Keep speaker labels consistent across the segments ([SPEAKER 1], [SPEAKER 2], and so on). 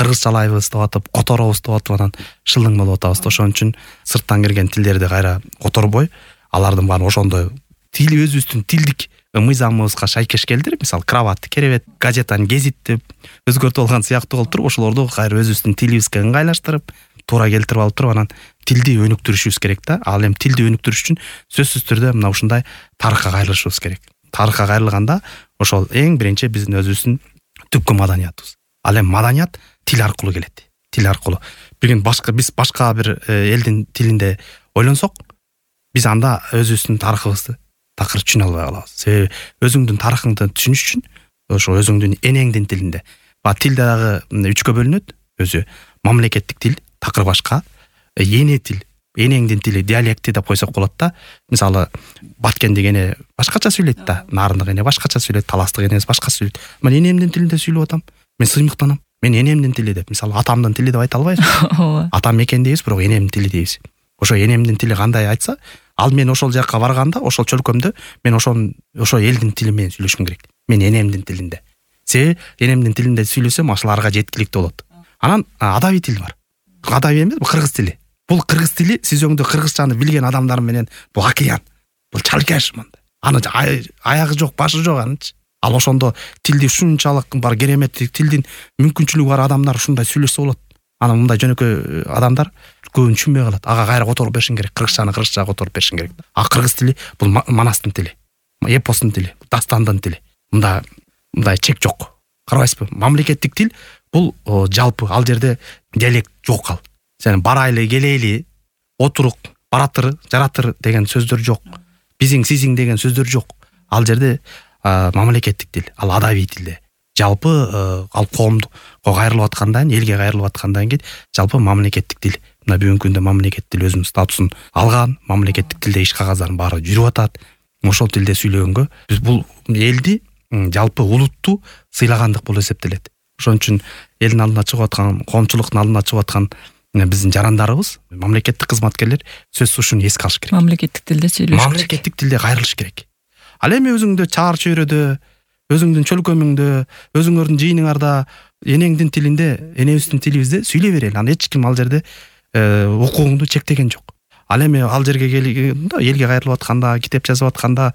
[SPEAKER 1] кыргызчалайбыз деп атып, которобуз деп атып анан шылдың болуп атабыз. Ошон үчүн сырттан келген тилдерди кайра которбой, алардын баарын ошондой тил өзүбүздүн тилдик мыйзамыбызга шайкеш келтирип, мисалы кроват, керебет, газетаны гезит деп өзгөртүп алган сыяктуу кылып туруп, ошолорду кайра өзүбүздүн тилибизге ыңгайлаштырып, туура келтирип алып туруп, анан тилди өнүктүрүшүбүз керек да. Ал эми тилди өнүктүрүш үчүн сөзсүз түрдө мына ушундай тарыхка кайрылышыбыз керек. Тарыхка кайрылганда ошол эң биринчи биздин өзүбүздүн түпкү маданиятыбыз. Ал эми маданият тил аркылуу келет. Тил аркылуу. Биз башка бир элдин тилинде ойлонсок, биз анда өзүбүздүн тарыхыбызды такыр түшүнө албай калабыз. Себеби өзүңдүн тарыхыңды түшүнүш үчүн ошо өзүңдүн энеңдин тилинде. Тил дагы 3кө бөлүнөт. Өзү мамлекеттик тил такыр башка, эне тил, энеңдин тили, диалекти деп койсок болот да. Мисалы Баткендик эне башкача сүйлөйт да, Нарындык эне башкача сүйлөйт, Таластык энеси башка сүйлөйт. Мен энемдин тилинде сүйлөп атам. Мен сыймыктанам. Мен энемдин тили деп, мисалы атамдын тили деп айта албайбыз. Атам экен дейбиз, бирок энемдин тили дейбиз. Ошо энемдин тили кандай айтса, ал мен ошол жакка барганда, ошол чөлкөмдө мен ошо элдин тили менен сүйлөшүм керек. Мен энемдин тилинде. Себеби энемдин тилинде сүйлөсөм, ашыларга жеткиликтүү болот. Анан адабий тил бар. Адабий эмес, бул кыргыз тили. Бул кыргыз тили сиз өңдө кыргызчаны билген адамдар менен бул океан. Бул чалкаш мындай. Аны аягы жок, башы жок анычы. Ал ошондо тилди ушунчалык бар кереметтик тилдин мүмкүнчүлүгү бар адамдар ушундай сүйлөшсө болот. Анан мындай жөнөкөй адамдар көбүн түшүнбөй калат. Ага кайра которуп беришин керек. Кыргызчаны кыргызчага которуп беришин керек. А кыргыз тили бул манастын тили. Эпостун тили, дастандын тили. Мындай чек жок. Карабайсызбы? Мамлекеттик тил бул жалпы ал жерде диалект жок ал. Сен барайлы, келейли, отурук, баратыр, жаратыр деген сөздөр жок. Бизиң, сизиң деген сөздөр жок. Ал жерде мамлекеттик тил, ал адабий тилде. Жалпы ал коомдо кайрылып аткандан, элге кайрылып аткандан кийин жалпы мамлекеттик тил. Мына бүгүнкү күндө мамлекеттик тил өзүнүн статусун алган, мамлекеттик тилде иш кагаздардын баары жүрүп атат. Ошол тилде сүйлөгөнгө биз бул элди жалпы улутту сыйлагандык болуп эсептелет. Ошон үчүн элдин алдына чыгып аткан, коомчулуктун алдына чыгып аткан биздин жарандарыбыз, мамлекеттик кызматкерлер сөзсүз ушуну эске алыш керек. Мамлекеттик тилде сүйлөш керек. Мамлекеттик тилде кайрылыш керек. Ал эми өзүңдө чаар чөйрөдө, өзүңдүн чөлкөмүңдө, өзүңөрдүн жыйыныңарда энеңдин тилинде, энебиздин тилибизде сүйлөй берели. Аны эч ким ал жерде укугуңду чектеген жок. Ал эми ал жерге келгенде, элге кайрылып атканда, китеп жазып атканда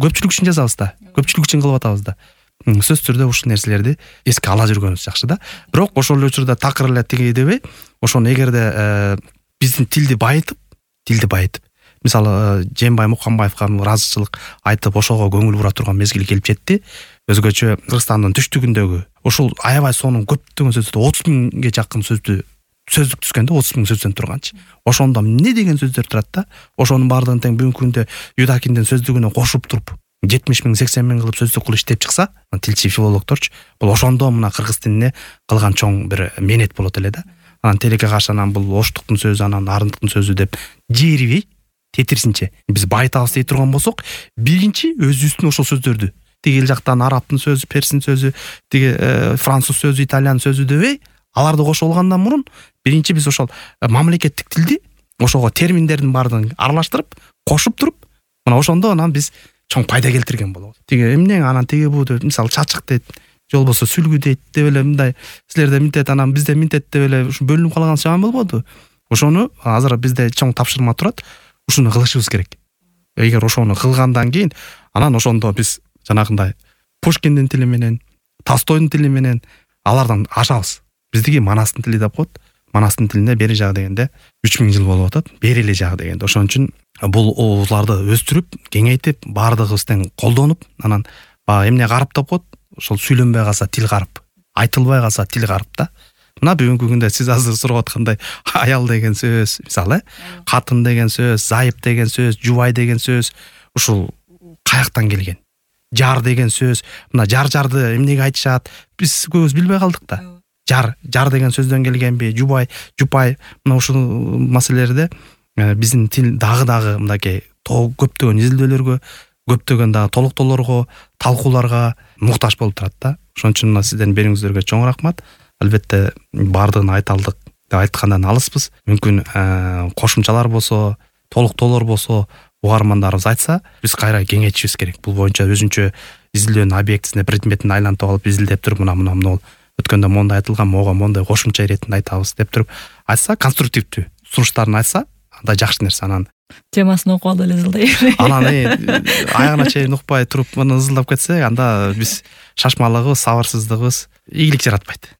[SPEAKER 1] көпчүлүк үчүн жазабыз да, көпчүлүк үчүн кылып атабыз да. Сөз түрдө ушул нерселерди эске ала жүргөнүбүз жакшы да. Бирок ошол учурда такыр эле тиги дебей, ошону эгерде биздин тилди байытып, мисалы Жээнбай Муканбаевга ыраазычылык айтып, ошого көңүл бура турган мезгил келип жетти. Өзгөчө Кыргызстандын түштүгүндөгү ошол аябай сонун көптөгөн сөздү, 30 миңге жакын сөздүк түзгөндө 30 миң сөздөн турганчы. Ошондо эмне деген сөздөр турат да? Ошонун баардыгын тең бүгүнкү күндө Юдакиндин сөздүгүнө кошуп туруп 70 миң, 80 миң кылып сөздүк кылып иштеп чыкса, тилчи филологдорчу, бул ошондо мына кыргыз тилине кылган чоң бир менет болот эле да. Анан тилекке каршы анан бул Оштуктун сөзү, анан Арындыктын сөзү деп жээрбей, тетирсинче биз байытабыз дей турган болсок, биринчи өзүбүздүн ошол сөздөрдү, тиги эл жактан арабтын сөзү, перстин сөзү, тиги француз сөзү, итальян сөзү дебей, аларды кошуп алгандан мурун биринчи биз ошол мамлекеттик тилди ошого терминдердин баардыгын аралаштырып, кошуп туруп, мына ошондо анан биз чоң пайда келтирген болобуз. Тиги эмне анан тиги бу деп, мисалы чачык дейт, же болбосо сүлгү дейт деп эле мындай силерде минтет, анан бизде минтет деп эле ушу бөлүнүп калган жаман болбоду? Ошону азыр бизде чоң тапшырма турат, ушуну кылышыбыз керек. Эгер ошону кылгандан кийин, анан ошондо биз жанагындай Пушкиндин тили менен, Толстойдун тили менен алардан ашабыз. Биздики манастын тили деп коет. Манастын тилинде бери жагы дегенде 3000 жыл болуп атат. Бери эле жагы дегенде. Ошон үчүн бул оозларды өстүрүп, кеңейтип, баардыгыбыз тең колдонуп, анан эмне карып деп коет, ошол сүйлөнбөй калса тил карып, айтылбай калса тил карып да. Мына бүгүнкү күндө сиз азыр сурап аткандай аял деген сөз, мисалы, катын деген сөз, зайып деген сөз, жубай деген сөз, ушул каяктан келген? Жар деген сөз, мына жар-жарды эмнеге айтышат? Биз көбүбүз билбей калдык да. Жар деген сөздөн келгенби, жубай, жупай, мына ушул маселелерде биздин тил дагы мындай көптөгөн изилдөөлөргө, көптөгөн дагы толуктоолорго, талкууларга муктаж болуп турат да. Ошон үчүн мына сиздердин берүүңүздөргө чоң рахмат. Албетте баардыгын айта алдык деп айткандан алыспыз. Мүмкүн кошумчалар болсо, толуктоолор болсо, угармандарыбыз айтса, биз кайра кеңейтишибиз керек. Бул боюнча өзүнчө изилдөөнүн объектисине, предметине айлантып алып изилдеп туруп, мына өткөндө мондай айтылган, мога мондай кошумча иретинде айтабыз деп туруп айтса, конструктивдүү сунуштарын айтса, анда жакшы нерсе. Анан
[SPEAKER 2] темасын окуп алып эле ызылдай.
[SPEAKER 1] Анан аягына чейин укпай туруп муну ызылдап кетсек, анда биз шашмалыгыбыз, сабырсыздыгыбыз ийгилик жаратпайт.